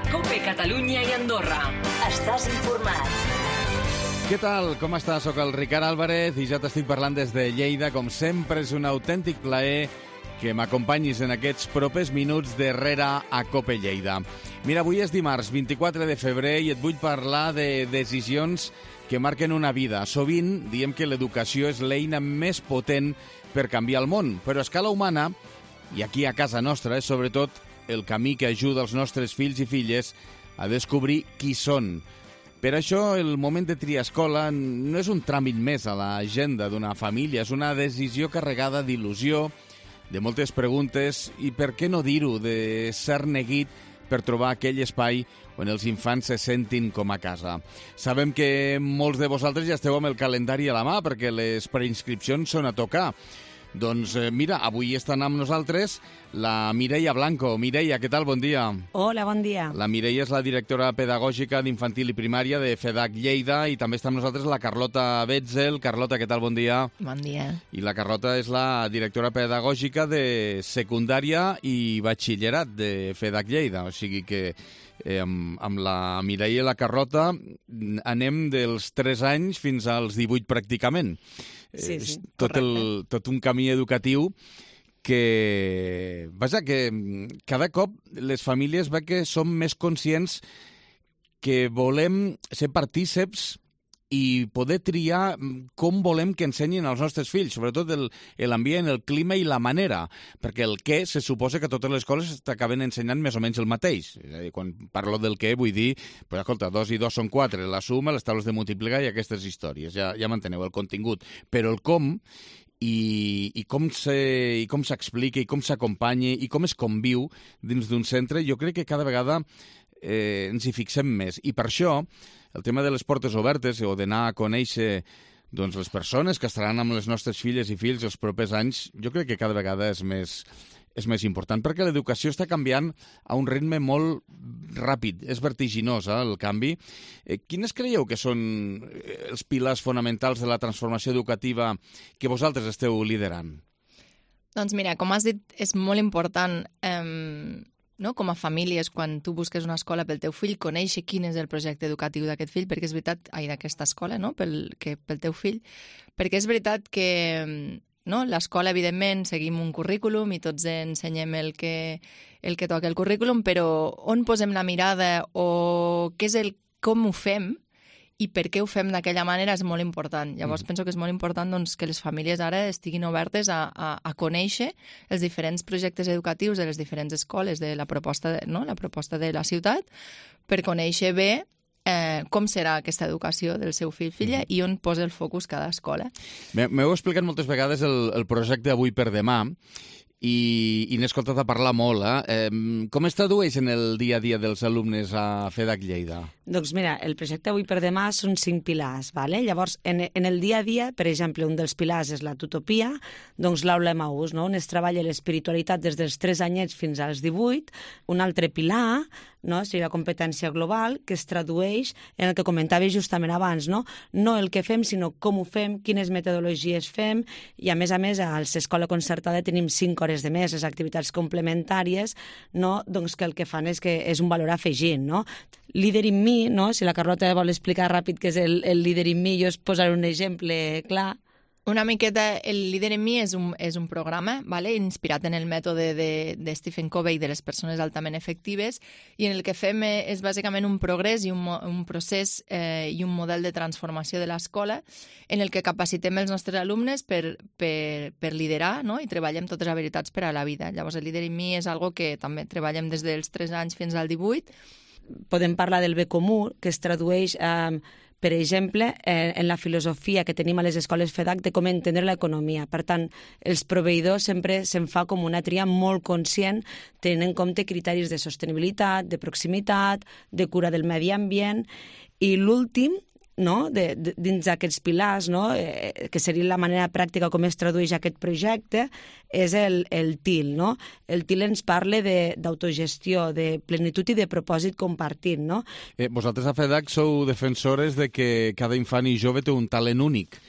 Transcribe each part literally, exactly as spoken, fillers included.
COPE Catalunya i Andorra. Estàs informat. Què tal? Com estàs? Soc el Ricard Álvarez i ja t'estic parlant des de Lleida. Com sempre, és un autèntic plaer que m'acompanyis en aquests propers minuts darrere a COPE Lleida. Mira, avui és dimarts vint-i-quatre de febrer i et vull parlar de decisions que marquen una vida. Sovint diem que l'educació és l'eina més potent per canviar el món, però a escala humana, i aquí a casa nostra, és sobretot el camí que ajuda els nostres fills i filles a descobrir qui són. Per això, el moment de triar escola no és un tràmit més a l'agenda d'una família, és una decisió carregada d'il·lusió, de moltes preguntes i, per què no dir-ho, de ser neguit per trobar aquell espai on els infants se sentin com a casa. Sabem que molts de vosaltres ja esteu amb el calendari a la mà perquè les preinscripcions són a tocar. Doncs eh, mira, avui estan amb nosaltres la Mireia Blanco. Mireia, què tal? Bon dia. Hola, bon dia. La Mireia és la directora pedagògica d'infantil i primària de FEDAC Lleida i també està amb nosaltres la Carlota Betzel. Carlota, què tal? Bon dia. Bon dia. I la Carlota és la directora pedagògica de secundària i batxillerat de FEDAC Lleida. O sigui que eh, amb, amb la Mireia i la Carlota anem dels tres anys fins als divuit pràcticament. Sí, sí, tot, el, tot un camí educatiu que, vaja, que cada cop les famílies ve que som més conscients que volem ser partíceps i poder triar com volem que ensenyin els nostres fills, sobretot l'ambient, el clima i la manera, perquè el què se suposa que totes les escoles t'acaben ensenyant més o menys el mateix. És a dir, quan parlo del què vull dir, pues, escolta, dos i dos són quatre, la suma, les taules de multiplicar i aquestes històries, ja, ja m'enteneu, el contingut. Però el com i, i com se, i com s'explica i com s'acompanya i com es conviu dins d'un centre, jo crec que cada vegada eh, ens hi fixem més. I per això el tema de les portes obertes o d'anar a conèixer doncs, les persones que estaran amb les nostres filles i fills els propers anys, jo crec que cada vegada és més, és més important, perquè l'educació està canviant a un ritme molt ràpid, és vertiginós, eh, el canvi. Eh, quines creieu que són els pilars fonamentals de la transformació educativa que vosaltres esteu liderant? Doncs mira, com has dit, és molt important... Eh... No? Com a famílies, quan tu busques una escola pel teu fill, conèixer quin és el projecte educatiu d'aquest fill, perquè és veritat, ai, d'aquesta escola, no? pel, que, pel teu fill, perquè és veritat que no? l'escola, evidentment, seguim un currículum i tots ensenyem el que, el que toca el currículum, però on posem la mirada o què és el com ho fem i per què ho fem d'aquella manera és molt important. Llavors, mm. penso que és molt important doncs, que les famílies ara estiguin obertes a, a, a conèixer els diferents projectes educatius de les diferents escoles, de la proposta de, no? la proposta de la ciutat, per conèixer bé eh, com serà aquesta educació del seu fill-filla mm. i on posa el focus cada escola. M'heu explicat moltes vegades el, el projecte Avui per Demà, i, i n'he escoltat a parlar molt. Eh? Eh, com es tradueix en el dia a dia dels alumnes a FEDAC Lleida? Doncs mira, el projecte Avui per Demà són cinc pilars. Vale? Llavors, en, en el dia a dia, per exemple, un dels pilars és la tutopia, doncs l'aula Emaús, no? on es treballa l'espiritualitat des dels tres anyets fins als divuit. Un altre pilar, no? seria la competència global, que es tradueix en el que comentava justament abans, no? no el que fem, sinó com ho fem, quines metodologies fem, i a més a més, a l'escola concertada tenim cinc hores de més, les activitats complementàries, no? doncs que el que fan és que és un valor afegit, no? Líder in mi, no? Si la Carlota vol explicar ràpid què és el, el líder in mi, jo us posaré un exemple clar. Una miqueta, el Líder en mi és un, és un programa ¿vale? inspirat en el mètode de, de Stephen Covey de les persones altament efectives i en el que fem és bàsicament un progrés i un, un procés eh, i un model de transformació de l'escola en el que capacitem els nostres alumnes per, per, per liderar no? i treballem totes les habilitats per a la vida. Llavors el Líder en mi és algo que també treballem des dels tres anys fins al divuit. Podem parlar del bé comú, que es tradueix eh, per exemple, eh, en la filosofia que tenim a les escoles FEDAC de com entendre l'economia. Per tant, els proveïdors sempre se'n fa com una tria molt conscient, tenint en compte criteris de sostenibilitat, de proximitat, de cura del medi ambient, i l'últim, no? de, de, dins d'aquests pilars, no? eh, que seria la manera pràctica com es tradueix aquest projecte, és el, el T I L. No? El T I L ens parla d'autogestió, de, de plenitud i de propòsit compartit. No? Eh, vosaltres a FEDAC sou defensores de que cada infant i jove té un talent únic.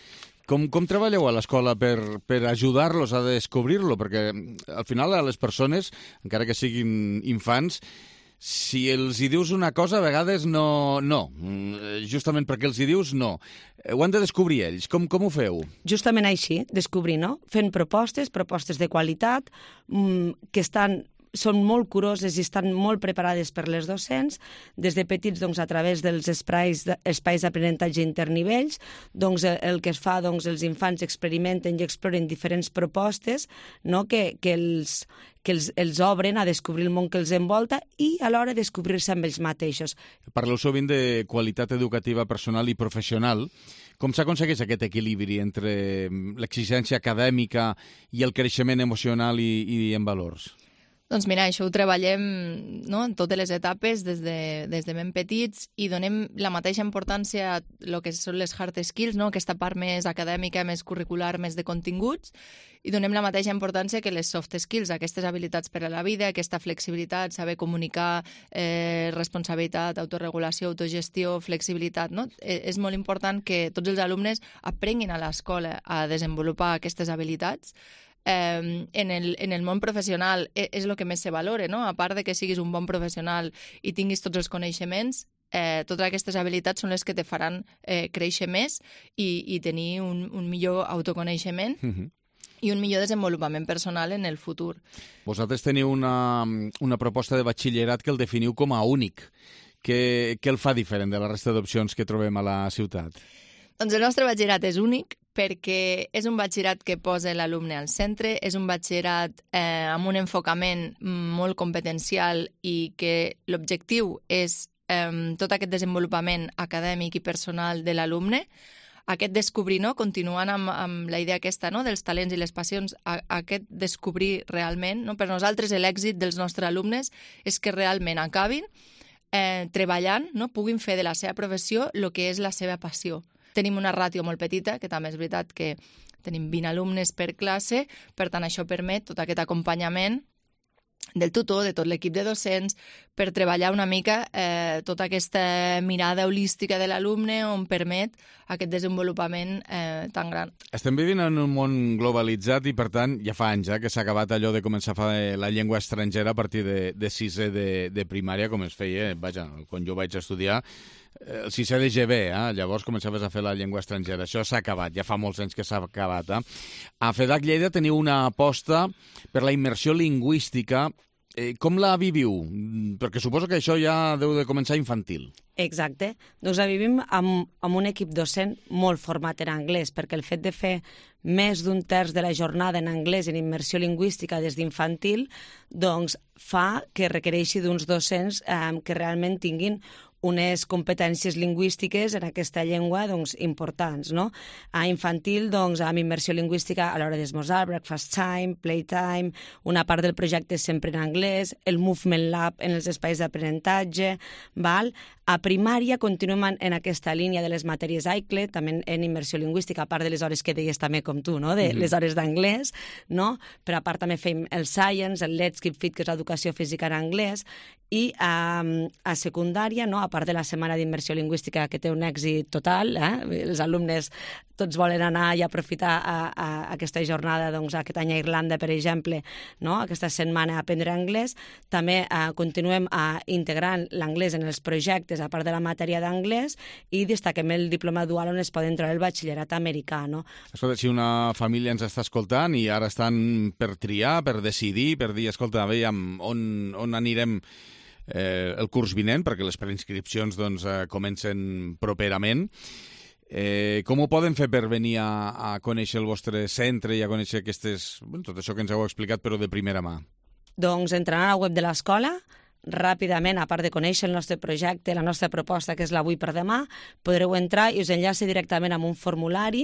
Com, com treballeu a l'escola per, per ajudar-los a descobrir-lo? Perquè al final a les persones, encara que siguin infants, si els hi dius una cosa, a vegades no, no. Justament perquè els hi dius, no. Ho han de descobrir ells. Com, com ho feu? Justament així, descobrir, no? Fent propostes, propostes de qualitat, mmm, que estan... són molt curoses i estan molt preparades per les docents, des de petits doncs, a través dels espais, espais d'aprenentatge internivells, doncs, el que es fa, doncs, els infants experimenten i exploren diferents propostes, no? que, que, els, que els, els obren a descobrir el món que els envolta i alhora descobrir-se amb ells mateixos. Parleu sovint de qualitat educativa personal i professional. Com s'aconsegueix aquest equilibri entre l'exigència acadèmica i el creixement emocional i, i en valors? Doncs mira, això ho treballem, no?, en totes les etapes, des de, des de ben petits, i donem la mateixa importància a el que són les hard skills, no?, aquesta part més acadèmica, més curricular, més de continguts, i donem la mateixa importància que les soft skills, aquestes habilitats per a la vida, aquesta flexibilitat, saber comunicar, eh, responsabilitat, autorregulació, autogestió, flexibilitat, no? Eh, és molt important que tots els alumnes aprenguin a l'escola a desenvolupar aquestes habilitats. Eh, en, el, en el món professional és el que més se valora, no? A part de que siguis un bon professional i tinguis tots els coneixements, eh, totes aquestes habilitats són les que te faran eh, créixer més i, i tenir un, un millor autoconeixement mm-hmm. i un millor desenvolupament personal en el futur. Vosaltres teniu una, una proposta de batxillerat que el definiu com a únic. Què, què el fa diferent de la resta d'opcions que trobem a la ciutat? Doncs el nostre batxillerat és únic perquè és un batxillerat que posa l'alumne al centre, és un batxillerat eh, amb un enfocament molt competencial i que l'objectiu és eh, tot aquest desenvolupament acadèmic i personal de l'alumne, aquest descobrir, no? Continuant amb, amb la idea aquesta, no?, dels talents i les passions, a, aquest descobrir realment, no? Per nosaltres l'èxit dels nostres alumnes és que realment acabin eh, treballant, no? Puguin fer de la seva professió el que és la seva passió. Tenim una ràtio molt petita, que també és veritat que tenim vint alumnes per classe, per tant això permet tot aquest acompanyament del tutor, de tot l'equip de docents, per treballar una mica eh, tota aquesta mirada holística de l'alumne on permet aquest desenvolupament eh, tan gran. Estem vivint en un món globalitzat i, per tant, ja fa anys eh, que s'ha acabat allò de començar a fer la llengua estrangera a partir de, de sisè de, de primària, com es feia, vaja, quan jo vaig estudiar, el sisè de G B, eh? Llavors començaves a fer la llengua estrangera. Això s'ha acabat, ja fa molts anys que s'ha acabat. Eh? A FEDAC Lleida teniu una aposta per la immersió lingüística. Eh, com la viviu? Perquè suposo que això ja deu de començar infantil. Exacte. Doncs la vivim amb, amb un equip docent molt format en anglès, perquè el fet de fer més d'un terç de la jornada en anglès en immersió lingüística des d'infantil doncs fa que requereixi d'uns docents eh, que realment tinguin unes competències lingüístiques en aquesta llengua doncs, importants. No? A infantil, doncs, amb immersió lingüística a l'hora d'esmorzar, breakfast time, playtime, una part del projecte sempre en anglès, el movement lab en els espais d'aprenentatge, val? A primària continuem en aquesta línia de les matèries I C L E, també en immersió lingüística, a part de les hores que deies també com tu, no? de mm-hmm. les hores d'anglès, no? Però a part també fem el Science, el Let's Keep Fit, que és l'educació física en anglès, i a, a secundària, no? A part de la setmana d'immersió lingüística, que té un èxit total, eh? Els alumnes tots volen anar i aprofitar a, a aquesta jornada, doncs, aquest any a Irlanda, per exemple, no? Aquesta setmana a aprendre anglès. També eh, continuem a integrant l'anglès en els projectes, a part de la matèria d'anglès, i destaquem el diploma dual on es pot entrar el batxillerat americà. No? Escolta, si una família ens està escoltant i ara estan per triar, per decidir, per dir, escolta, veiem on, on anirem eh, el curs vinent, perquè les preinscripcions doncs, eh, comencen properament, Eh, com ho poden fer per venir a, a conèixer el vostre centre i a conèixer aquestes, bueno, tot això que ens heu explicat, però de primera mà? Doncs entrant a la web de l'escola, ràpidament, a part de conèixer el nostre projecte, la nostra proposta, que és l'avui per demà, podreu entrar i us enllaça directament amb un formulari.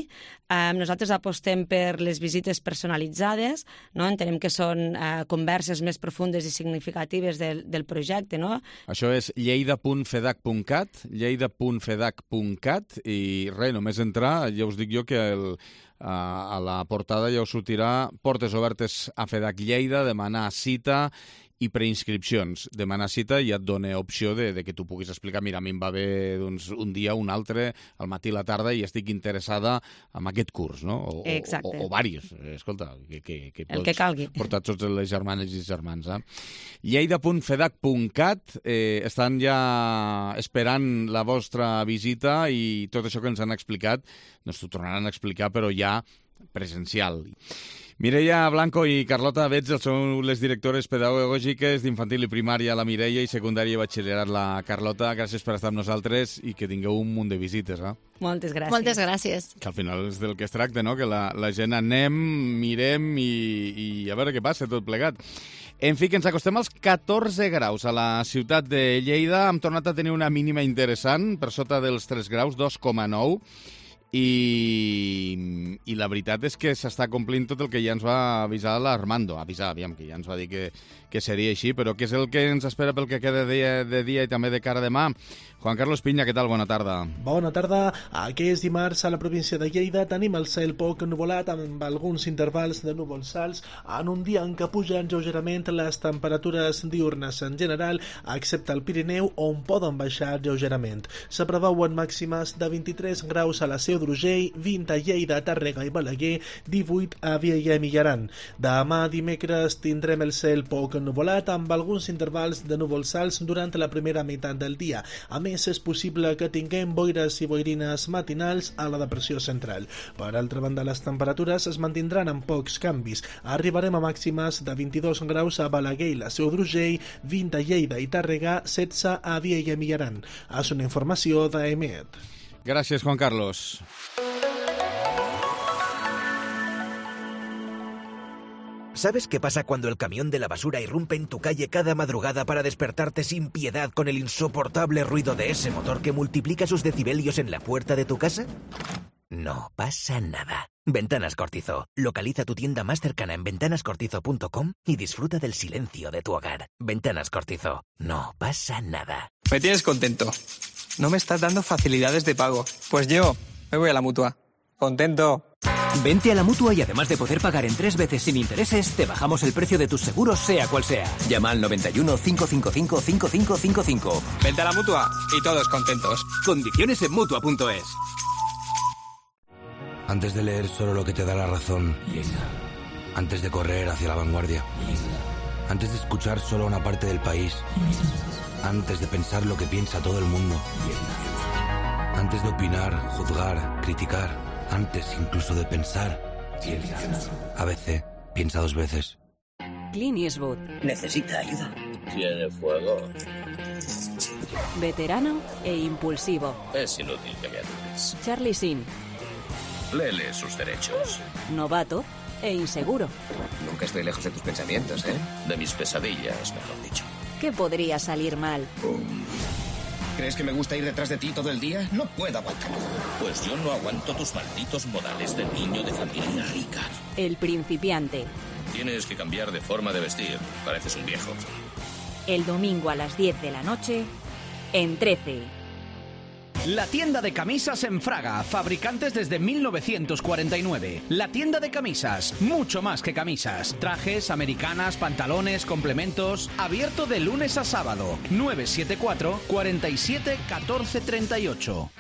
Eh, nosaltres apostem per les visites personalitzades, no? Entenem que són eh, converses més profundes i significatives del, del projecte. No? Això és lleida punt fedac punt cat, lleida punt fedac punt cat, i res, només entrar, ja us dic jo que el, a, a la portada ja us sortirà portes obertes a FEDAC Lleida, demanar cita i preinscripcions. Demanar cita i et dona opció de, de que tu puguis explicar, mira, a mi em va bé doncs, un dia, un altre, al matí, a la tarda, i estic interessada en aquest curs, no? O, Exacte. O, o, o diversos. Escolta, que, que, que El pots que calgui. portar tots les germanes i germans. Eh? lleida punt fedac punt cat eh, estan ja esperant la vostra visita i tot això que ens han explicat, doncs t'ho tornaran a explicar, però ja presencial. Mireia Blanco i Carlota Betzel són les directores pedagògiques d'infantil i primària, la Mireia, i secundària i batxillerat, la Carlota. Gràcies per estar amb nosaltres i que tingueu un munt de visites. Eh? Moltes gràcies. Moltes gràcies. Que al final és del que es tracta, no? Que la, la gent anem, mirem i, i a veure què passa tot plegat. En fi, que ens acostem als catorze graus a la ciutat de Lleida. Hem tornat a tenir una mínima interessant, per sota dels tres graus, dos coma nou. I, i la veritat és que s'està complint tot el que ja ens va avisar l'Armando. Avisar, aviam, que ja ens va dir que, que seria així, però què és el que ens espera pel que queda de dia, de dia i també de cara a demà? Juan Carlos Piña, què tal? Bona tarda. Bona tarda. Aquest dimarts a la província de Lleida tenim el cel poc nuvolat amb alguns intervals de núvols alts en un dia en què pugen lleugerament les temperatures diurnes en general, excepte al Pirineu, on poden baixar lleugerament. Se preveuen màximes de vint-i-tres graus a la Seu d'Urgell, vint a Lleida, Tàrrega i Balaguer, divuit a Vielha i Aran. Demà dimecres tindrem el cel poc nuvolat amb alguns intervals de núvols alts durant la primera meitat del dia. A més, és possible que tinguem boires i boirines matinals a la depressió central. Per altra banda, les temperatures es mantindran amb pocs canvis. Arribarem a màximes de vint-i-dos graus a Balaguer i la Seu d'Urgell, vint a Lleida i Tàrrega, setze a Vielha i Aran. És una informació d'E M E T. Gràcies, Juan Carlos. ¿Sabes qué pasa cuando el camión de la basura irrumpe en tu calle cada madrugada para despertarte sin piedad con el insoportable ruido de ese motor que multiplica sus decibelios en la puerta de tu casa? No pasa nada. Ventanas Cortizo. Localiza tu tienda más cercana en ventanas cortizo punto com y disfruta del silencio de tu hogar. Ventanas Cortizo. No pasa nada. Me tienes contento. No me estás dando facilidades de pago. Pues yo me voy a la Mutua. Contento. Vente a la Mutua y además de poder pagar en tres veces sin intereses, te bajamos el precio de tus seguros sea cual sea. Llama al noventa y uno, cinco cinco cinco, cinco cinco cinco cinco. Vente a la Mutua y todos contentos. Condiciones en Mutua punto es. Antes de leer solo lo que te da la razón, antes de correr hacia la vanguardia, antes de escuchar solo una parte del país, antes de pensar lo que piensa todo el mundo, antes de opinar, juzgar, criticar, antes incluso de pensar, A B C, piensa dos veces. Clint Eastwood. Necesita ayuda. Tiene fuego. Veterano e impulsivo. Es inútil que me ayudes. Charlie Sheen. Léele sus derechos. Novato e inseguro. Nunca estoy lejos de tus pensamientos, ¿eh? De mis pesadillas, mejor dicho. ¿Qué podría salir mal? Um. ¿Crees que me gusta ir detrás de ti todo el día? No puedo aguantarlo. Pues yo no aguanto tus malditos modales de niño de familia rica. El principiante. Tienes que cambiar de forma de vestir. Pareces un viejo. El domingo a las diez de la noche, en trece. La tienda de camisas en Fraga, fabricantes desde mil novecientos cuarenta y nueve. La tienda de camisas, mucho más que camisas. Trajes, americanas, pantalones, complementos. Abierto de lunes a sábado. nueve siete cuatro, cuatro siete, uno cuatro tres ocho.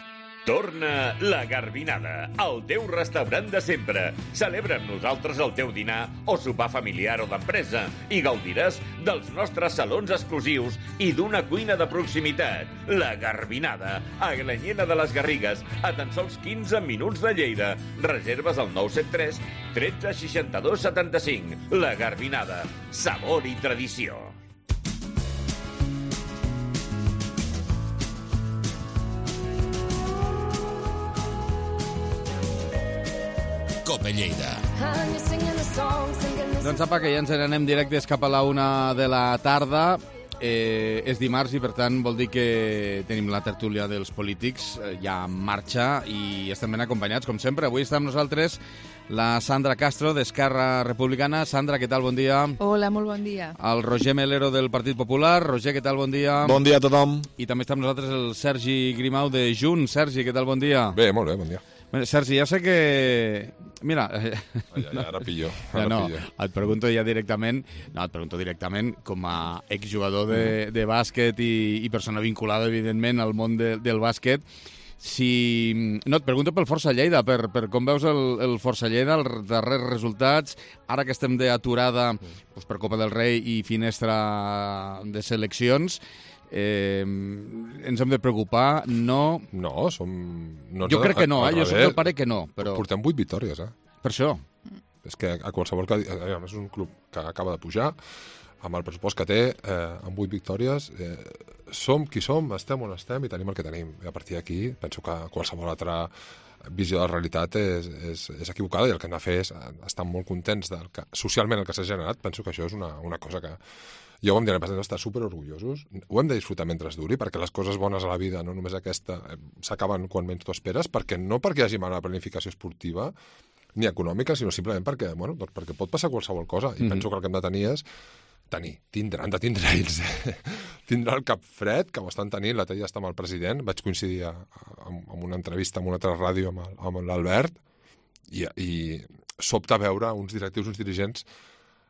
Torna la Garbinada, el teu restaurant de sempre. Celebra amb nosaltres el teu dinar o sopar familiar o d'empresa i gaudiràs dels nostres salons exclusius i d'una cuina de proximitat. La Garbinada, a Glanyena de les Garrigues, a tan sols quinze minuts de Lleida. Reserves al nou set tres, tretze, seixanta-dos, setanta-cinc. La Garbinada, sabor i tradició. Cope Lleida. Doncs apa, que ja ens n'anem directes cap a la una de la tarda. Eh, és dimarts i, per tant, vol dir que tenim la tertúlia dels polítics eh, ja en marxa i estem ben acompanyats, com sempre. Avui està amb nosaltres la Sandra Castro, d'Esquerra Republicana. Sandra, què tal? Bon dia. Hola, molt bon dia. El Roger Melero, del Partit Popular. Roger, què tal? Bon dia. Bon dia a tothom. I també està amb nosaltres el Sergi Grimau, de Junts. Sergi, què tal? Bon dia. Bé, molt bé, bon dia. Bueno, Sergi, ja sé que... Mira... Ah, ja, ja, ara pillo. Ara ja no, pillo. et pregunto ja directament, no, et pregunto directament com a exjugador de, de bàsquet i, i persona vinculada, evidentment, al món de, del bàsquet, si... No, et pregunto pel Força Lleida, per, per com veus el, el Força Lleida, els darrers resultats, ara que estem d'aturada doncs per Copa del Rei i finestra de seleccions, Eh, ens hem de preocupar, no... No, som... No, jo crec que no, eh? Jo soc del pare que no, però... Portem vuit victòries, eh? Per això. És que a qualsevol... A més, és un club que acaba de pujar, amb el pressupost que té, eh, amb vuit victòries, eh, som qui som, estem on estem i tenim el que tenim. I a partir d'aquí, penso que qualsevol altra visió de la realitat és, és, és equivocada, i el que hem de fer és estar molt contents del que, socialment, el que s'ha generat. Penso que això és una, una cosa que... Jo ho em diré, hem d'estar superorgullosos, ho hem de disfrutar mentre es duri, perquè les coses bones a la vida, no només aquesta, s'acaben quan menys t'ho esperes, perquè no perquè hi hagi mala planificació esportiva ni econòmica, sinó simplement perquè, bueno, doncs perquè pot passar qualsevol cosa, i mm-hmm. penso que el que hem de tenir és tenir, tindre, han de tindre ells, eh? tindre el cap fred, que ho estan tenint, l'altre dia està amb el president, vaig coincidir a, a, amb una entrevista amb una altra ràdio amb, el, amb l'Albert, i, i sobta veure uns directius, uns dirigents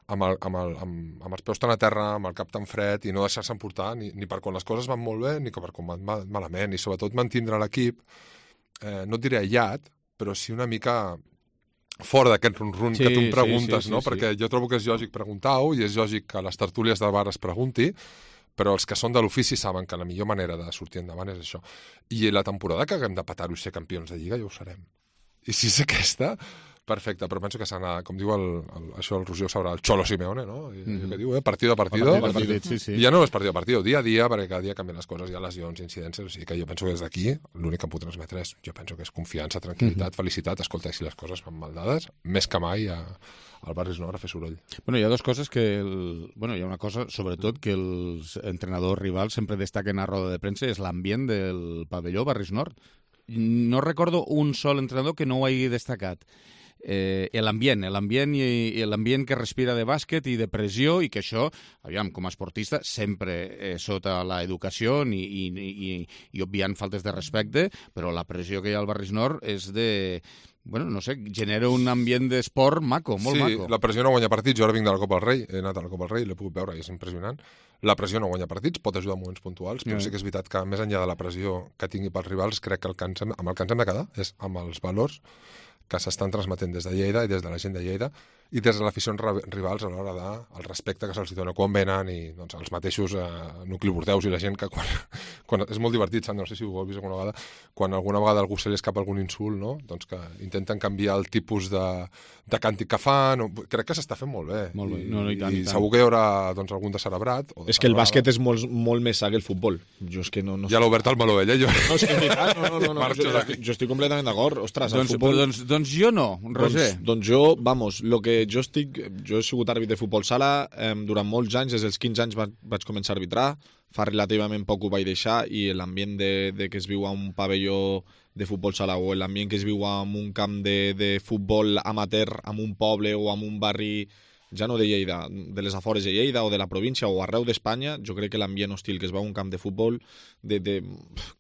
amb, el, amb, el, amb, amb els peus tan a terra, amb el cap tan fred, i no deixar-se emportar ni, ni per quan les coses van molt bé, ni per quan van mal, malament, i sobretot mantindre l'equip, eh, no et diré aïllat, però sí una mica fora d'aquest run-run sí, que tu em preguntes, sí, sí, no? Sí, perquè sí. Jo trobo que és lògic preguntar-ho, i és lògic que a les tertúlies del bar es pregunti, però els que són de l'ofici saben que la millor manera de sortir endavant és això. I la temporada que haguem de petar-ho i ser campions de Lliga, ja ho serem. I si és aquesta... Perfecte, però penso que s'ha anat, com diu el, el, això el Roger ho sabrà, el Cholo Simeone, no? I, mm-hmm. que diu, eh? Partido a partido. partido, a partido. Sí, sí. I ja no és partido a partido, dia a dia, perquè cada dia canvien les coses, hi ha lesions, incidències, o sigui que jo penso que des d'aquí l'únic que em puc transmetre és, jo penso que és confiança, tranquil·litat, mm-hmm. felicitat, escolta, si les coses van mal dades, més que mai a, al Barris Nord a fer soroll. Bueno, hi ha dues coses que... El, bueno, hi ha una cosa, sobretot, que els entrenadors rivals sempre destaquen a roda de premsa, és l'ambient del pavelló Barris Nord. No recordo un sol entrenador que no ho hagi destacat. Eh, l'ambient, l'ambient i, i l'ambient que respira de bàsquet i de pressió, i que això, aviam, com a esportista, sempre eh, sota l'educació i, i, i, i obviant faltes de respecte, però la pressió que hi ha al Barris Nord és de... Bueno, no sé, genera un ambient d'esport maco, molt sí, maco. Sí, la pressió no guanya partits. Jo ara vinc de la Copa del Rei, he anat a la Copa del Rei, l'he pogut veure i és impressionant. La pressió no guanya partits, pot ajudar en moments puntuals, però sí que és veritat que més enllà de la pressió que tingui pels rivals, crec que el que ens hem, amb el que ens hem de quedar és amb els valors que s'estan transmetent des de Lleida i des de la gent de Lleida i des de l'aficions rivals a l'hora del de respecte que se'ls dona quan venen, i doncs, els mateixos eh, nuclibordeus i la gent que quan, quan... És molt divertit, Sandra, no sé si ho heu vist alguna vegada, quan alguna vegada algú se li escapa algun insult, no? Doncs que intenten canviar el tipus de, de càntic que fan. O... Crec que s'està fent molt bé. Molt bé. No, no, i, tant, i, i tant. segur que hi haurà doncs, algun de cerebrat. O de és que el bàsquet és molt, molt més sa que el futbol. Jo és que no, no... Ja l'ha obert el meló, ella. Jo... No, és que és veritat. No, no, no, no. Jo, jo, jo estic completament d'acord. Ostres, el doncs, futbol... Doncs, doncs jo no, Roger. Doncs, doncs jo, vamos, lo que jo estic... Jo he sigut àrbitre de futbol sala eh, durant molts anys, des dels quinze anys va, vaig començar a arbitrar, fa relativament poc ho vaig deixar, i l'ambient de, de que es viu a un pavelló de futbol sala o l'ambient que es viu en un camp de, de futbol amateur en un poble o en un barri, ja no de Lleida, de les afores de Lleida o de la província o arreu d'Espanya, jo crec que l'ambient hostil que es veu a un camp de futbol, de, de,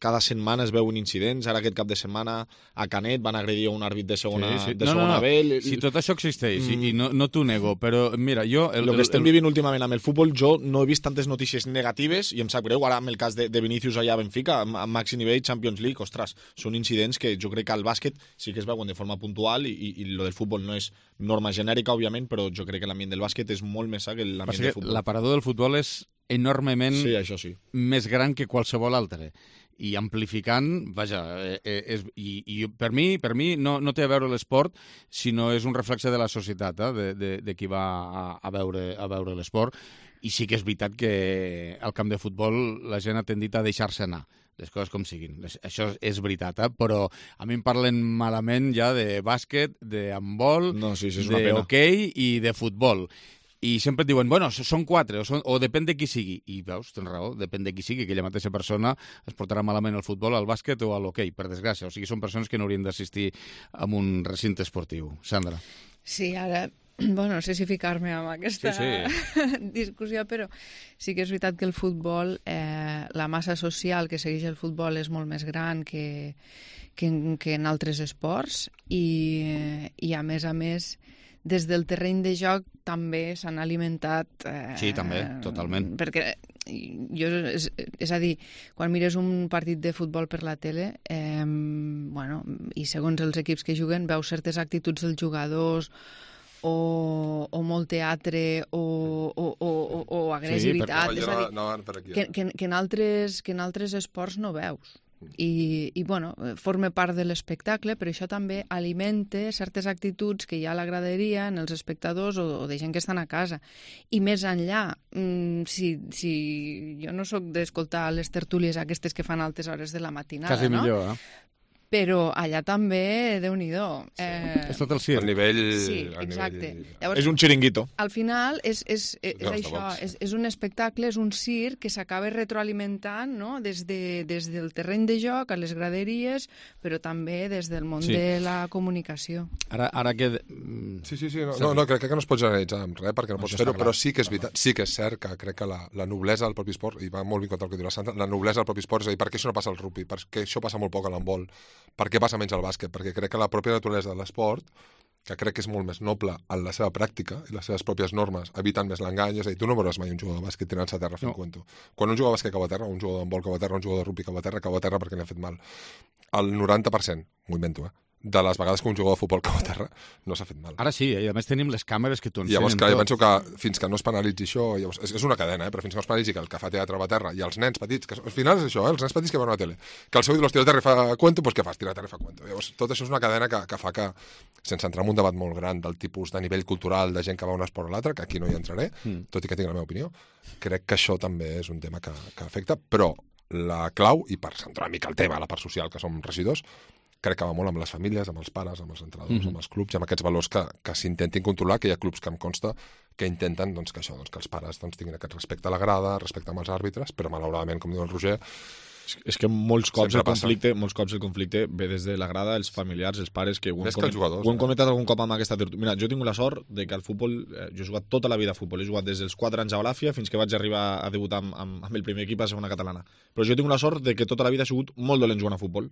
cada setmana es veuen incidents. Ara aquest cap de setmana a Canet van agredir un àrbit de segona, sí, sí. De no, segona no, no. B. Si tot això existeix, mm. i no, no t'ho nego, però mira, jo... El, el que estem el, vivint últimament amb el futbol, jo no he vist tantes notícies negatives, i em sap greu, ara amb el cas de, de Vinícius allà a Benfica, amb, amb màxim nivell, Champions League, ostres, són incidents que jo crec que al bàsquet sí que es veuen de forma puntual, i, i, i lo del futbol no és norma genèrica, òbviament, però jo crec que l'ambient del bàsquet és molt més sa que l'ambient del futbol. L'aparador del futbol és enormement sí, això sí. més gran que qualsevol altre, i amplificant, vaja, eh, és, i, i per mi, per mi no, no té a veure l'esport, sinó és un reflexe de la societat, eh, de, de, de qui va a, a veure, a veure l'esport, i sí que és veritat que al camp de futbol la gent ha tendit a deixar-se anar, les coses com siguin. Això és veritat, eh? Però a mi em parlen malament ja de bàsquet, de handbol, no, sí, sí, d'hoquei i de futbol. I sempre et diuen, bueno, són quatre, o, són, o depèn de qui sigui. I veus, tens raó, depèn de qui sigui, aquella mateixa persona es portarà malament al futbol, al bàsquet o a l'hoquei, per desgràcia. O sigui, són persones que no haurien d'assistir a un recinte esportiu. Sandra. Sí, ara bueno, no sé si ficar-me amb aquesta sí, sí. discussió, però sí que és veritat que el futbol, eh, la massa social que segueix el futbol és molt més gran que, que, en, que en altres esports i, i a més a més des del terreny de joc també s'han alimentat... Eh, sí, també, totalment. Perquè jo, és, és a dir, quan mires un partit de futbol per la tele, eh, bueno, i segons els equips que juguen, veus certes actituds dels jugadors o, o molt teatre o, o, o, o, o agressivitat. Sí, és a dir, no, no, per aquí, que, que, que, en altres, que en altres esports no veus. I, i bueno, forma part de l'espectacle, però això també alimenta certes actituds que hi ha a la graderia en els espectadors o, o de gent que estan a casa. I més enllà, mmm, si, si jo no sóc d'escoltar les tertúlies aquestes que fan a altes hores de la matinada, quasi no? millor, eh? Però allà també, Déu-n'hi-do. Eh... És tot el circ. El nivell... Sí, exacte. Llavors, és un xiringuito. Al final és, és, és, és No, això, és, és un espectacle, és un circ que s'acaba retroalimentant, no? des, de, des del terreny de joc a les graderies, però també des del món Sí. de la comunicació. Ara, ara que... Sí, sí, sí, no, no, no crec que no es pot generalitzar amb res, perquè no pots Això fer-ho, està clar. però sí que és veritat, sí que és cert que crec que la, la noblesa del propi esport, i va molt vinculat al que diu la Santa, la noblesa del propi esport, és a dir, per què això no passa al rugby, per què això passa molt poc a l'handbol, per què passa menys al bàsquet, perquè crec que la pròpia naturalesa de l'esport, que crec que és molt més noble en la seva pràctica i les seves pròpies normes, eviten més l'engany, és a dir, tu no veuràs mai un jugador de bàsquet tirant-se a terra fent No. cuento. Quan un jugador de bàsquet cau a terra, un jugador d'handbol cau a terra, un jugador de rugby cau a terra, cau a terra perquè li ha fet mal. El noranta per cent, m'ho invento, eh? de les vegades que un jugador de futbol cau a terra no s'ha fet mal. Ara sí, eh? I a més tenim les càmeres que t'ho I llavors, ensenyen clar, jo tot. penso que fins que no es penalitzi això, llavors, és, és una cadena, eh? Però fins que no es penalitzi que el que fa teatre va a terra i els nens petits, que al final és això, eh? Els nens petits que veuen a la tele, que el seu idol tira a terra i fa cuento, doncs què fas? Tira a terra i fa cuento. Llavors, tot això és una cadena que, que fa que, sense entrar en un debat molt gran del tipus de nivell cultural de gent que va a un esport o l'altre, que aquí no hi entraré, mm. tot i que tinc la meva opinió, crec que això també és un tema que, que afecta, però la clau, i per centrar una mica el tema, la part social, que som regidors, crec que va molt amb les famílies, amb els pares, amb els entrenadors, mm-hmm. amb els clubs i amb aquests valors que, que s'intentin controlar, que hi ha clubs que em consta que intenten doncs, que això, doncs, que els pares doncs, tinguin aquest respecte a la grada, respecte amb els àrbitres, però malauradament, com diu el Roger, és que molts cops, Sempre el conflicte, molts cops el conflicte ve des de la grada, els familiars, els pares, que ho hem, Més que els coment, jugadors, ho hem eh? comentat algun cop amb aquesta tertúlia. Mira, jo tinc la sort de que al futbol, eh, jo he jugat tota la vida a futbol, he jugat des dels quatre anys a Balàfia fins que vaig arribar a debutar amb, amb, amb el primer equip a segona catalana. Però jo tinc la sort de que tota la vida he sigut molt dolent jugant a futbol.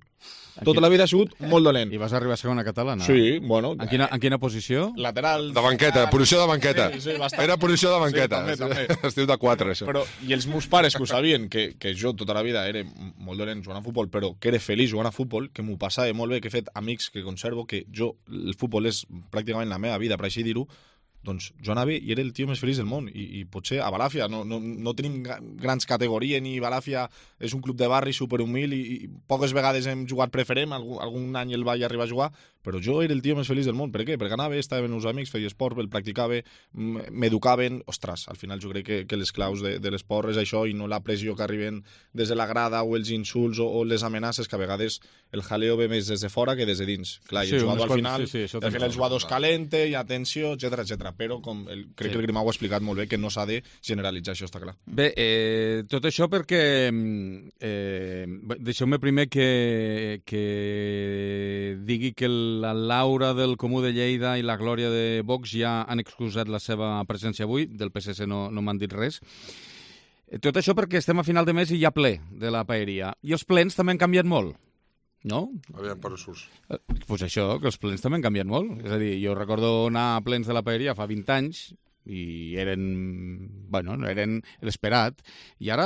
Aquí... Tota la vida he sigut molt dolent. I vas arribar a segona catalana? Sí, bueno. En quina, en quina posició? Lateral. De banqueta, posició de banqueta. Sí, sí, bastant. Era posició de banqueta. Sí, també, també. Es diu de quatre, això. Però, i els meus pares que ho sabien, que, que jo tota la vida era molt dolent jugant a futbol, però que era feliç jugant a futbol, que m'ho passava molt bé, que he fet amics que conservo, que jo, el futbol és pràcticament la meva vida, per així dir-ho, doncs jo anava i era el tio més feliç del món, i, i potser a Balàfia no, no, no tenim grans categories, ni Balàfia és un club de barri superhumil i, i poques vegades hem jugat preferent, algun, algun any el vaig arribar a jugar, però jo era el tio més feliç del món. Per què? Perquè anava, estava amb els amics, feia esport, el practicava, m'educaven. Ostres, al final jo crec que, que les claus de, de l'esport és això i no la pressió que arriben des de la grada o els insults o, o les amenaces, que a vegades el jaleo ve més des de fora que des de dins. Clar, i el Sí, jugador unes al final, sí, sí, al final el jugador es calenta, hi ha tensió, etcètera, etcètera. Però com el, crec Sí. que el Grimau ha explicat molt bé que no s'ha de generalitzar, això està clar. Bé, eh, tot això perquè... Eh, deixeu-me primer que, que digui que la Laura del Comú de Lleida i la Glòria de Vox ja han excusat la seva presència avui, del P S C no, no m'han dit res. Tot això perquè estem a final de mes i hi ha ple de la paeria. I els plens també han canviat molt, no? Aviam, per on surts? Doncs pues això, que els plens també han canviat molt. És a dir, jo recordo anar a plens de la paeria fa vint anys i eren, bueno, no eren l'esperat, i ara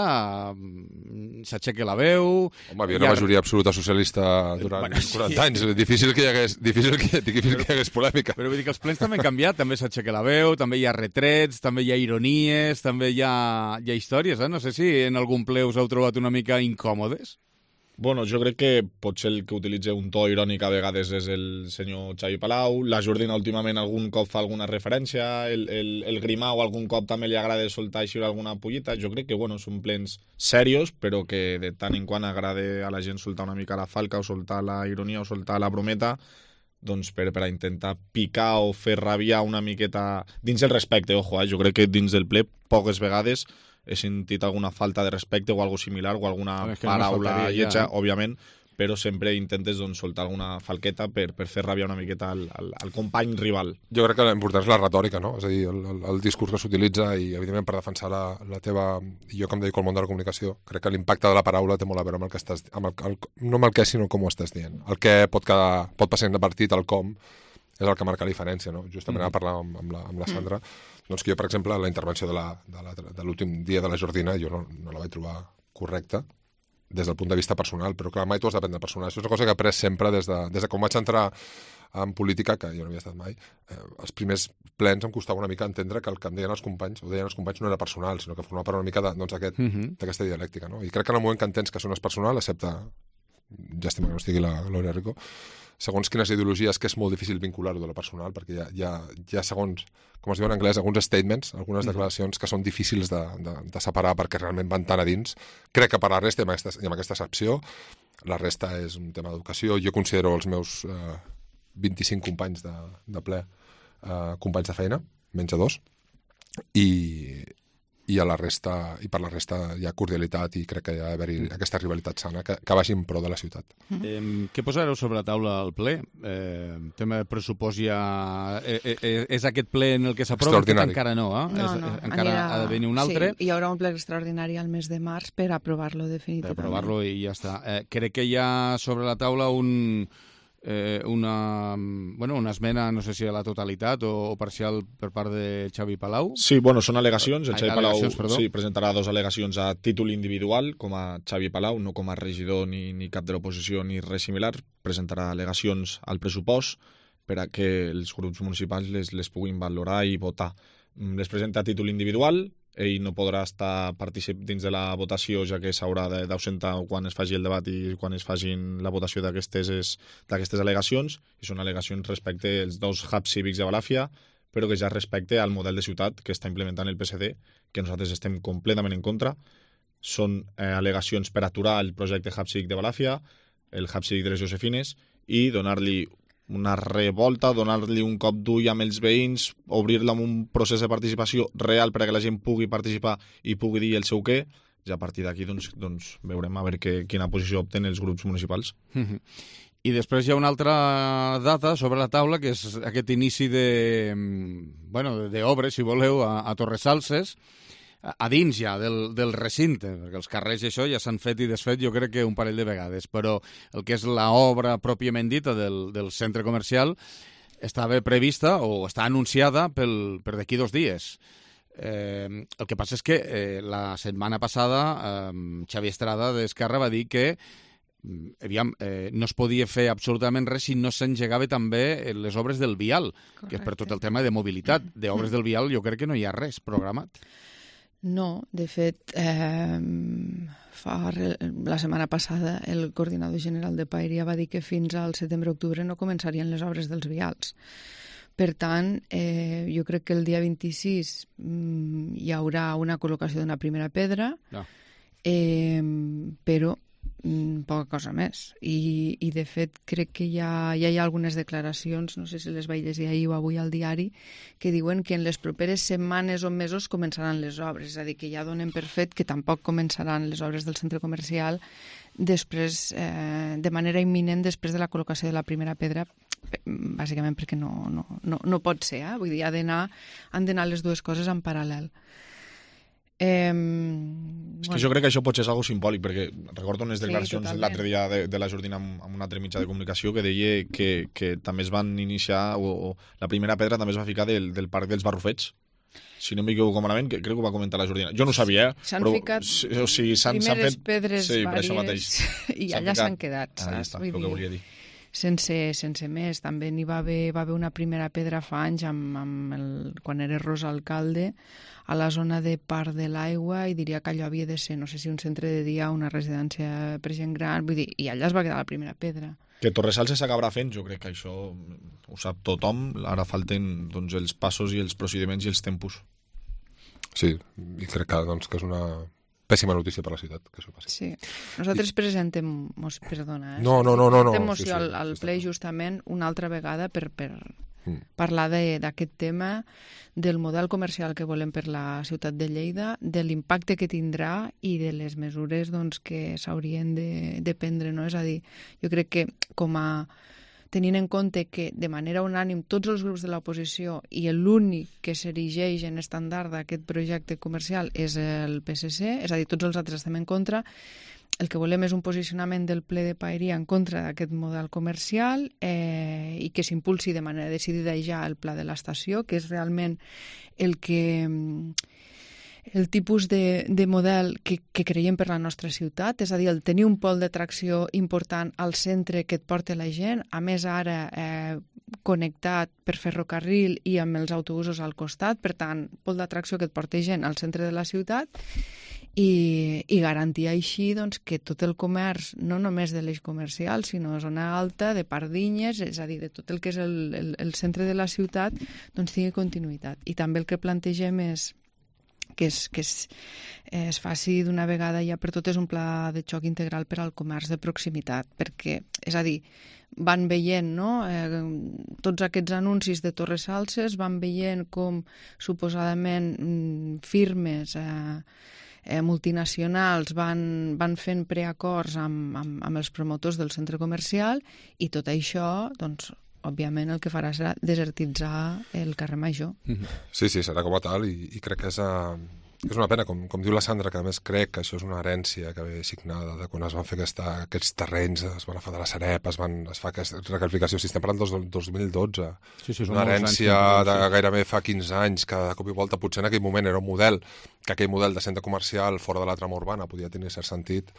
mm, s'aixeca la veu... Home, havia una majoria absoluta socialista durant Bueno, sí. quaranta anys, difícil que hi hagués, difícil que, difícil que hi hagués polèmica. Però vull dir que els plens també han canviat, també s'aixeca la veu, també hi ha retrets, també hi ha ironies, també hi ha, hi ha històries, eh? No sé si en algun ple us heu trobat una mica incòmodes. Bueno, jo crec que potser el que utilitza un to irònic a vegades és el senyor Xavi Palau, la Jordina últimament algun cop fa alguna referència, el, el, el Grimau algun cop també li agrada soltar així alguna pollita. Jo crec que, bueno, són plens serios, però que de tant en quant agrada a la gent soltar una mica la falca o soltar la ironia o soltar la brometa, doncs per, per a intentar picar o fer rabiar una miqueta dins el respecte, ojo, eh? Jo crec que dins del ple poques vegades he sentit alguna falta de respecte o algo similar o alguna no, és que paraula no lletja, ja. òbviament, però sempre intentes doncs, soltar alguna falqueta per, per fer ràbia una miqueta al, al, al company rival. Jo crec que l'important és la retòrica, no? És a dir, el, el, el discurs que s'utilitza i, evidentment, per defensar la, la teva... Jo, com dedico al món de la comunicació, crec que l'impacte de la paraula té molt a veure amb el que estàs... Amb el, el, no amb el què, sinó com ho estàs dient. El què pot, quedar, pot passar inadvertit, el com, és el que marca la diferència, no? Justament mm. a parlar amb, amb, la, amb la Sandra, mm. doncs que jo, per exemple, la intervenció de, la, de, la, de l'últim dia de la Jordina, jo no, no la vaig trobar correcta, des del punt de vista personal, però clar, mai tu has d'aprendre personal. Això és una cosa que he après sempre des de, des de com vaig entrar en política, que jo no havia estat mai. Eh, els primers plens em costava una mica entendre que el que em deien els companys, o deien els companys, no era personal, sinó que formava part una mica de, doncs, aquest, mm -hmm. d'aquesta dialèctica. No? I crec que en el moment que entens que això no és personal, excepte, llàstima que no estigui la Gloria Rico, segons quines ideologies, que és molt difícil vincular-ho de la personal, perquè hi ha, hi ha, hi ha segons, com es diu en anglès, alguns statements, algunes declaracions que són difícils de, de, de separar perquè realment van tan a dins. Crec que per la resta, i amb aquesta, i amb aquesta excepció, la resta és un tema d'educació. Jo considero els meus eh, vint-i-cinc companys de, de ple eh, companys de feina, menys de dos, i... i a la resta, i per la resta hi ha cordialitat i crec que hi ha d'haver-hi aquesta rivalitat sana que, que vagi en pro de la ciutat. Eh, què posareu sobre la taula al ple? Eh, tema de pressupost ja... Eh, eh, és aquest ple en el que s'aprova? Encara no, eh? No, és, no. Encara Anirà... ha de venir un altre? Sí, hi haurà un ple extraordinari al mes de març per aprovar-lo definitivament. Per aprovar-lo i ja està. Eh, crec que hi ha sobre la taula un... Eh, una, bueno, una esmena, no sé si a la totalitat o, o parcial per part de Xavi Palau. Sí, bueno, són al·legacions. El Ai, Xavi Palau sí, presentarà dos al·legacions a títol individual, com a Xavi Palau, no com a regidor ni, ni cap de l'oposició ni res similar. Presentarà al·legacions al pressupost per a que els grups municipals les, les puguin valorar i votar. Les presenta a títol individual, ell no podrà estar particip dins de la votació, ja que s'haurà d'ausentar quan es faci el debat i quan es facin la votació d'aquestes d'aquestes al·legacions, i són al·legacions respecte als dos hubs cívics de Balàfia, però que ja respecte al model de ciutat que està implementant el P S D, que nosaltres estem completament en contra. Són eh, al·legacions per aturar el projecte hub cívic de Balàfia, el hub cívic de les Josefines, i donar-li una revolta, donar-li un cop d'ull amb els veïns, obrir-la amb un procés de participació real per a que la gent pugui participar i pugui dir el seu què, i a partir d'aquí doncs, doncs, veurem a veure que, quina posició opten els grups municipals. Mm-hmm. I després hi ha una altra data sobre la taula, que és aquest inici de, bueno, d'obres, si voleu, a, a Torresalses, a dins ja del, del recinte, perquè els carrers i això ja s'han fet i desfet jo crec que un parell de vegades, però el que és l'obra pròpiament dita del, del centre comercial estava prevista o està anunciada pel, per d'aquí dos dies. Eh, el que passa és que eh, la setmana passada eh, Xavi Estrada d'Esquerra va dir que aviam, eh, no es podia fer absolutament res si no s'engegava també les obres del vial, correcte, que és per tot el tema de mobilitat. D'obres del vial jo crec que no hi ha res programat. No, de fet, eh, fa, la setmana passada el coordinador general de Paeria va dir que fins al setembre-octubre no començarien les obres dels vials. Per tant, eh, jo crec que el dia vint-i-sis mm, hi haurà una col·locació d'una primera pedra, no. eh, però mm, poca cosa més. I, i de fet, crec que ja, ja hi ha algunes declaracions, no sé si les vaig llegir ahir o avui al diari, que diuen que en les properes setmanes o mesos començaran les obres, és a dir, que ja donen per fet que tampoc començaran les obres del centre comercial després, eh, de manera imminent després de la col·locació de la primera pedra, bàsicament perquè no, no, no, no pot ser, eh? Vull dir, ha d'anar, han d'anar les dues coses en paral·lel. Eh, és que bueno. Jo crec que això pot ser algo simbòlic, perquè recordo unes declaracions sí, l'altre dia de, de la Jordina amb, amb un altre mitjà de comunicació que deia que, que també es van iniciar, o, o la primera pedra també es va ficar del, del Parc dels Barrufets, si no m'equivoco malament, que crec que ho va comentar la Jordina. Jo no ho sabia, eh? S'han però, ficat o sigui, s'han, primeres s'han fet, pedres sí, vàries i allà s'han quedat. Ah, està, el que volia dir. Sense, sense més. També n'hi va haver, va haver una primera pedra fa anys amb, amb el, quan era Rosa alcalde a la zona de Parc de l'Aigua, i diria que allò havia de ser, no sé si un centre de dia o una residència per gent gran, vull dir, i allà es va quedar la primera pedra. Que Torresalses s'acabarà fent, jo crec que això ho sap tothom, ara falten doncs, els passos i els procediments i els tempos. Sí, i crec que, doncs, que és una pèssima notícia per a la ciutat, que això passi. Sí. Nosaltres I... presentem, perdona, eh? No, no, no, no, no. Presentem moció sí, sí, al, al sí, ple sí, justament una altra vegada per, per, Mm. Parlar d'aquest tema, del model comercial que volem per la ciutat de Lleida, de l'impacte que tindrà i de les mesures doncs, que s'haurien de, de prendre. No? És a dir, jo crec que com a tenint en compte que de manera unànim tots els grups de l'oposició i l'únic que s'erigeix en estàndard d'aquest projecte comercial és el P S C, és a dir, tots els altres estem en contra, el que volem és un posicionament del ple de Paeria en contra d'aquest model comercial eh, i que s'impulsi de manera decidida ja el pla de l'estació, que és realment el que el tipus de, de model que, que creiem per la nostra ciutat, és a dir, el tenir un pol d'atracció important al centre que et porta la gent, a més ara eh, connectat per ferrocarril i amb els autobusos al costat, per tant, pol d'atracció que et porta gent al centre de la ciutat, i, i garantir així doncs, que tot el comerç, no només de l'eix comercial, sinó zona alta, de Pardinyes, és a dir, de tot el que és el, el, el centre de la ciutat, doncs tingui continuïtat. I també el que plantegem és que es, que es, es faci d'una vegada ja per totes un pla de xoc integral per al comerç de proximitat, perquè, és a dir, van veient, no?, eh, tots aquests anuncis de Torres Salses, van veient com suposadament mm, firmes eh, eh, multinacionals van, van fent preacords amb, amb, amb els promotors del centre comercial i tot això, doncs, òbviament el que farà serà desertitzar el carrer Major. Sí, sí, serà com a tal i, i crec que és, uh, és una pena, com, com diu la Sandra, que a més crec que això és una herència que ve signada de quan es van fer aquesta, aquests terrenys, es van agafar de la Sareb, es, van, es fa aquesta recalificació, si estem parlant del dos mil dotze, sí, sí, una herència de gairebé fa quinze anys, que de cop i volta potser en aquell moment era un model, que aquell model de centre comercial fora de la trama urbana podia tenir cert sentit,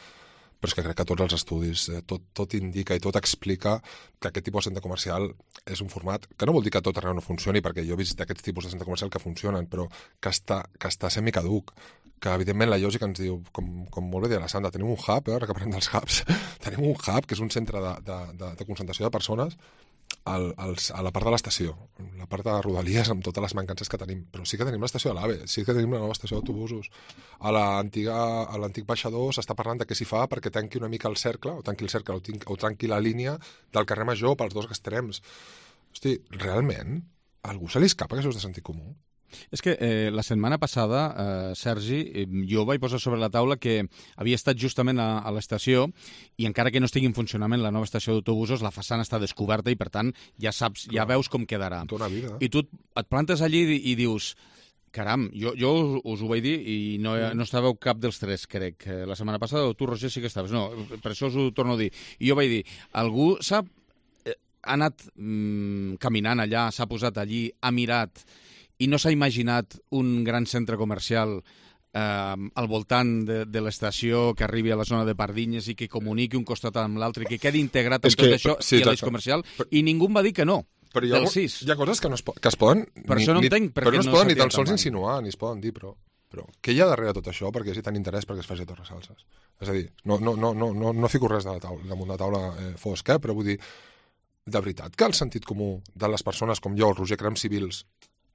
però és que crec que tots els estudis, eh, tot, tot indica i tot explica que aquest tipus de centre comercial és un format que no vol dir que tot arreu no funcioni, perquè jo he vist aquests tipus de centre comercial que funcionen, però que està, que està semicaduc, que evidentment la lògica ens diu, com, com molt bé deia la Sandra, tenim un hub, eh, ara que parlem dels hubs, tenim un hub que és un centre de, de, de, de concentració de persones al, als, a la part de l'estació, la part de Rodalies amb totes les mancances que tenim, però sí que tenim l'estació de l'AVE, sí que tenim la nova estació d'autobusos. A l'antic baixador s'està parlant de què s'hi fa perquè tanqui una mica el cercle, o tanqui el cercle, o, tinc, o tanqui la línia del carrer Major pels dos extrems. Hosti, realment, a algú se li escapa que això és de sentit comú? És que eh, la setmana passada, eh, Sergi, eh, jo vaig posar sobre la taula que havia estat justament a, a l'estació i encara que no estigui en funcionament la nova estació d'autobusos, la façana està descoberta i, per tant, ja saps, ja veus com quedarà. Tota vida. I tu et plantes allí i, i dius... Caram, jo, jo us, us ho vaig dir i no, no estàveu cap dels tres, crec. La setmana passada, o tu, Roger, sí que estaves. No, per això us ho torno a dir. I jo vaig dir, algú s'ha ha anat mm, caminant allà, s'ha posat allí, ha mirat i no s'ha imaginat un gran centre comercial eh, al voltant de, de l'estació que arribi a la zona de Pardinyes i que comuniqui un costat amb l'altre i que quedi integrat amb tot això sí, i l'eix comercial, però, i ningú em va dir que no. Però hi ha, del sis. Hi ha coses que, no es, que es poden... Per ni, això no entenc però no es poden ni tan sols insinuar, ni es poden dir, però, però què hi ha darrere tot això perquè hi ha tant interès perquè es faci a Torres Salses? És a dir, no, no, no, no, no, no fico res de la taula, damunt de la taula eh, fosc, eh, però vull dir, de veritat que el sentit comú de les persones com jo, el Roger, creem civils,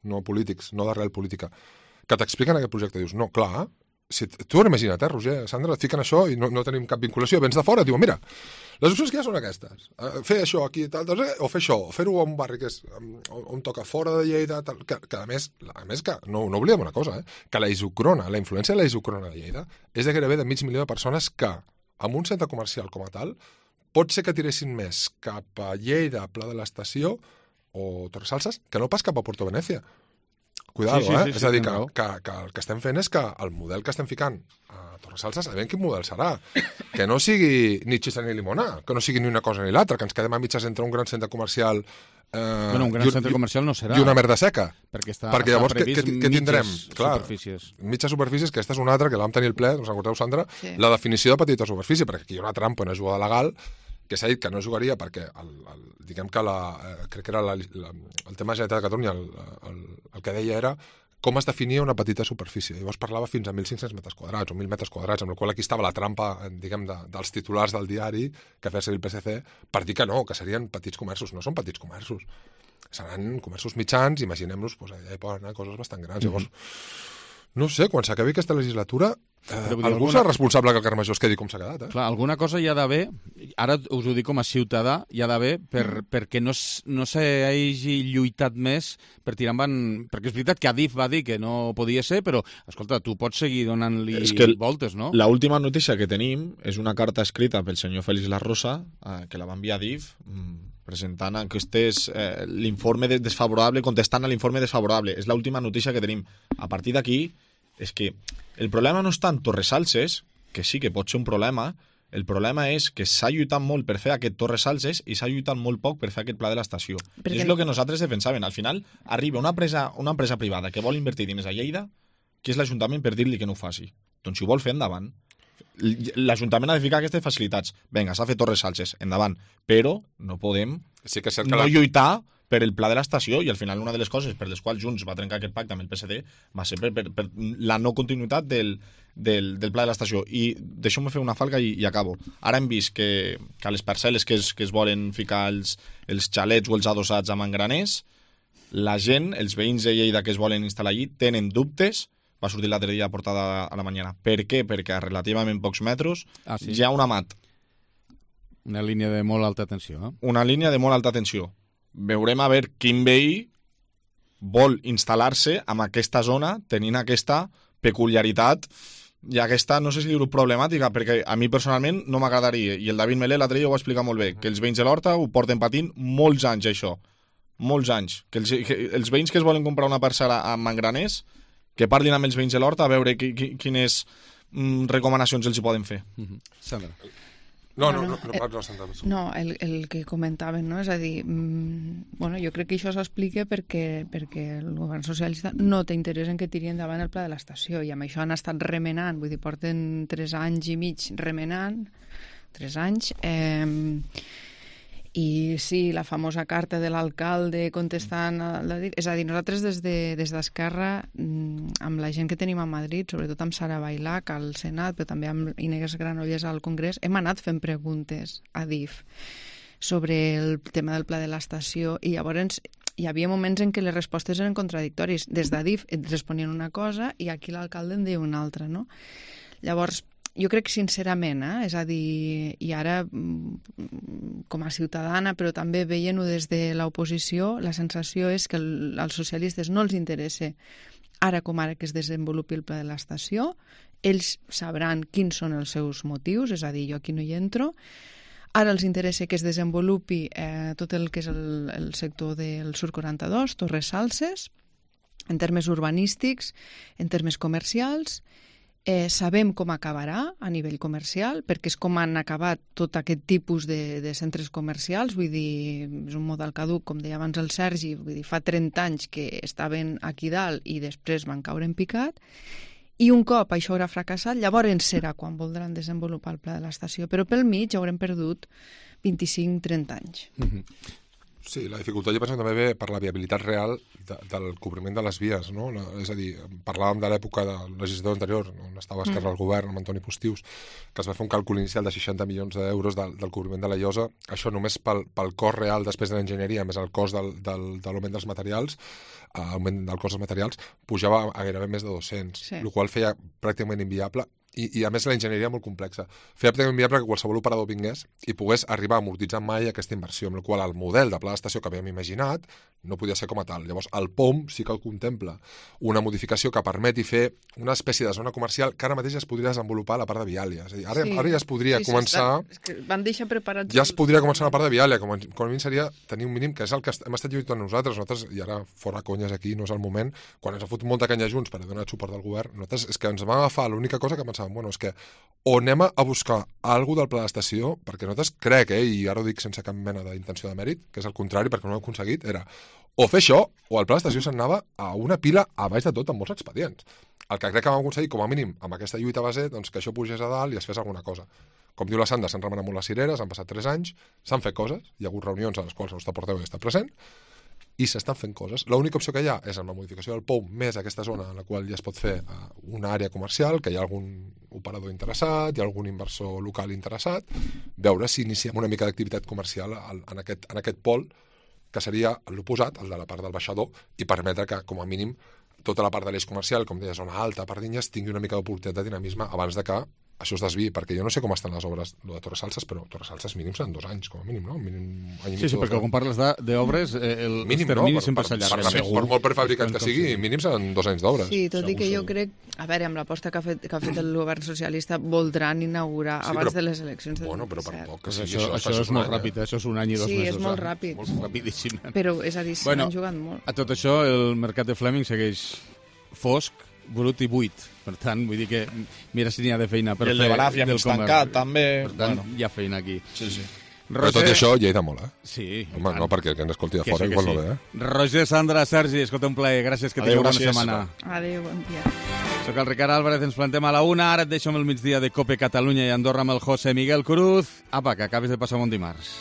no polítics, no d'arrel política, que t'expliquen aquest projecte, dius, no, clar, si tu ho imagina't, eh, Roger, Sandra, et fiquen això i no, no tenim cap vinculació, vens de fora, et diuen, mira, les opcions que hi ha són aquestes, uh, fer això aquí, tal, tal, o fer això, o fer-ho a un barri que és, um, on toca fora de Lleida, tal, que, que a més, a més que, no, no oblidem una cosa, eh, que la isocrona, la influència de la isocrona de Lleida és de gairebé de mig milió de persones que, amb un centre comercial com a tal, pot ser que tiressin més cap a Lleida, Pla de l'Estació o Torres Salses, que no pas cap a Puerto Venècia. Cuidado, sí, sí, sí, eh? Sí, és a dir, que, que, que el que estem fent és que el model que estem ficant a Torres Salses, sabem quin model serà. Que no sigui ni xista ni limona, que no sigui ni una cosa ni l'altra, que ens quedem a mitges entre un gran centre comercial eh, bueno, un gran i, centre comercial no serà. I una merda seca. Perquè, està, perquè llavors què, què, què tindrem? Clar, superfícies. Mitges superfícies, que aquesta és una altra, que l'hem tenir el ple, us recordeu, Sandra? Sí. La definició de petita superfície, perquè aquí hi ha una trampa, una jugada legal, que s'ha dit que no jugaria perquè el, el, diguem que la, eh, crec que era la, la, el tema de Generalitat de Catalunya, el, el, el que deia era com es definia una petita superfície. Llavors parlava fins a mil cinc-cents metres quadrats o mil metres quadrats, amb la qual aquí estava la trampa, diguem, de, dels titulars del diari que feia servir el P S C per dir que no, que serien petits comerços. No són petits comerços. Seran comerços mitjans, imaginem-nos, doncs, allà hi poden anar coses bastant grans. Mm-hmm. Llavors, no sé, quan s'acabi aquesta legislatura, Uh, algú alguna... és responsable que el Carme Major es quedi com s'ha quedat, eh? Clar, alguna cosa hi ha d'haver, ara us ho dic com a ciutadà, hi ha d'haver per, mm. perquè no, no s'hagi lluitat més per tirar endavant... Perquè és veritat que Adif va dir que no podia ser, però, escolta, tu pots seguir donant-li el... voltes, no? La última notícia que tenim és una carta escrita pel senyor Félix La Rosa, eh, que la va enviar Adif, presentant aquestes, eh, l'informe desfavorable, contestant a l'informe desfavorable. És l'última notícia que tenim. A partir d'aquí, és que el problema no és tant Torresalses, que sí que pot ser un problema, el problema és que s'ha lluitat molt per fer aquest Torresalses i s'ha lluitat molt poc per fer aquest pla de l'estació. Perquè... És el que nosaltres defensàvem. Al final, arriba una empresa, una empresa privada que vol invertir diners a Lleida, que és l'Ajuntament per dir-li que no ho faci. Doncs si ho vol fer, endavant. L'Ajuntament ha de ficar aquestes facilitats. Vinga, s'ha fet Torresalses, endavant. Però no podem sí que que no la... lluitar per el pla de l'estació, i al final una de les coses per les quals Junts va trencar aquest pacte amb el P S D va ser per, per, per la no continuïtat del, del, del pla de l'estació. I deixeu-me fer una falca i, i acabo. Ara hem vist que, que a les parcel·les que es, que es volen ficar els, els xalets o els adossats a Mangraners, la gent, els veïns de Lleida que es volen instal·lar allí, tenen dubtes. Va sortir l'altre dia portada a la mañana. Per què? Perquè a relativament pocs metres ah, sí? hi ha una mat. Una línia de molt alta tensió, eh? Una línia de molt alta tensió. Veurem a veure quin veí vol instal·lar-se en aquesta zona tenint aquesta peculiaritat i aquesta, no sé si dir-ho problemàtica, perquè a mi personalment no m'agradaria, i el David Melé l'altre dia ho va explicar molt bé, que els veïns de l'Horta ho porten patint molts anys, això. Molts anys. Que els, que els veïns que es volen comprar una parcel·la a Mangraners, que parlin amb els veïns de l'Horta a veure qui, qui, quines mm, recomanacions els hi poden fer. Mm-hmm. Sandra. No, no, no, no, no, no, no el, el que comentaven, no? És a dir, mmm, bueno, jo crec que això s'explica perquè, perquè el govern socialista no té interès en que tiri endavant el pla de l'estació, i amb això han estat remenant, vull dir, porten tres anys i mig remenant, tres anys, eh, i sí, la famosa carta de l'alcalde contestant, a la, és a dir, nosaltres des de, des d'Esquerra, amb la gent que tenim a Madrid, sobretot amb Sara Bailac al Senat, però també amb Inés Granollers al Congrés, hem anat fent preguntes a D I F sobre el tema del pla de l'estació, i llavors hi havia moments en què les respostes eren contradictòries. Des de D I F et responien una cosa i aquí l'alcalde en diu una altra, no? Llavors, jo crec sincerament, eh? És a dir, i ara com a ciutadana, però també veient-ho des de l'oposició, la sensació és que el, als socialistes no els interessa ara com ara que es desenvolupi el pla de l'estació, ells sabran quins són els seus motius, és a dir, jo aquí no hi entro. Ara els interessa que es desenvolupi eh, tot el que és el, el sector del Sur quaranta-dos, Torresalses, en termes urbanístics, en termes comercials. Eh, sabem com acabarà a nivell comercial, perquè és com han acabat tot aquest tipus de, de centres comercials, vull dir, és un model caduc, com deia abans el Sergi, vull dir, fa trenta anys que estaven aquí dalt i després van caure en picat, i un cop això haurà fracassat, llavors serà quan voldran desenvolupar el pla de l'estació, però pel mig haurem perdut vint-i-cinc trenta anys. Mm-hmm. Sí, la dificultat jo penso també ve per la viabilitat real de, del cobriment de les vies, no? La, és a dir, parlàvem de l'època del legislador anterior, on estava Esquerra al govern, amb Antoni Postius, que es va fer un càlcul inicial de seixanta milions d'euros del, del cobriment de la llosa. Això només pel, pel cost real després de l'enginyeria, més el cost del, del, de l'augment dels materials, eh, augment del cost dels materials, pujava a gairebé més de dos-cents, sí. El qual feia pràcticament inviable. I, i a més la enginyeria molt complexa. Feia pràcticament viable que qualsevol operador vingués i pogués arribar a amortitzar mai aquesta inversió, amb la qual el model de pla d'estació que havíem imaginat no podia ser com a tal. Llavors el P O M sí que el contempla una modificació que permeti fer una espècie de zona comercial que ara mateix ja es podria desenvolupar a la part de Viàlia. És a dir, ara, sí. ara ja es podria sí, sí, començar... Està... És que van deixar preparats... Ja es podria començar a la part de Viàlia, com a, com a mínim seria tenir un mínim, que és el que hem estat lluitant nosaltres. Nosaltres, i ara fora conyes aquí, no és el moment, quan ens ha fotut molta canya Junts per donar suport al govern, nosaltres és que ens vam agafar l'única cosa que pensàvem, bueno, és que o anem a buscar alguna del pla d'estació, perquè nosaltres crec, eh, i ara ho dic sense cap mena d'intenció de mèrit, que és el contrari, perquè no ho hem aconseguit, era o fer això, o el pla d'estació s'anava a una pila a baix de tot amb molts expedients. El que crec que vam aconseguir, com a mínim, amb aquesta lluita base, doncs que això pugés a dalt i es fes alguna cosa. Com diu la Sandra, s'han remenat molt les cireres, han passat tres anys, s'han fet coses, hi ha hagut reunions a les quals el nostre portaveu ja està present, i s'estan fent coses. L'única opció que hi ha és amb la modificació del P O M més aquesta zona en la qual ja es pot fer una àrea comercial, que hi ha algun operador interessat, hi ha algun inversor local interessat, veure si iniciem una mica d'activitat comercial en aquest, en aquest pol, que seria l'oposat, el de la part del baixador, i permetre que, com a mínim, tota la part de l'eix comercial, com deia, zona alta, Pardinyes, tingui una mica d'oportunitat de dinamisme abans de que això es desviï, perquè jo no sé com estan les obres de Torres Salses, però Torres Salses mínim seran dos anys, com a mínim, no? Mínim, any sí, sí, perquè quan parles d'obres, el mínim, termini no? sempre s'allarga. Per, per, per molt prefabricat que sigui, mínim seran dos anys d'obres. Sí, tot i que jo crec, a veure, amb l'aposta que ha fet, que ha fet el govern socialista, voldran inaugurar sí, abans però, de les eleccions del bueno, però per poc que sigui, això, això, això és molt any, ràpid, eh? Això és un any i dos sí, mesos. Sí, és molt ràpid. Molt rapidíssim. Però, és a dir, s'han bueno, jugat molt. A tot això, el mercat de Fleming segueix fosc, brut i buit. Per tant, vull dir que mira si n'hi ha de feina per I el fer... de Balaf ja m'he tancat, també. Per tant, bueno. hi ha feina aquí. Sí, sí. Roger... Però tot això Lleida mola, eh? Sí. Home, no, perquè el que ens escolti de fora sí, igual sí. no ve, eh? Roger, Sandra, Sergi, escolta, un plaer. Gràcies, que tingueu bona setmana. Adéu, bon dia. Soc el Ricard Álvarez, ens plantem a la una. Ara et deixo amb el migdia de Cope Catalunya i Andorra amb el José Miguel Cruz. Apa, que acabis de passar un bon dimarts.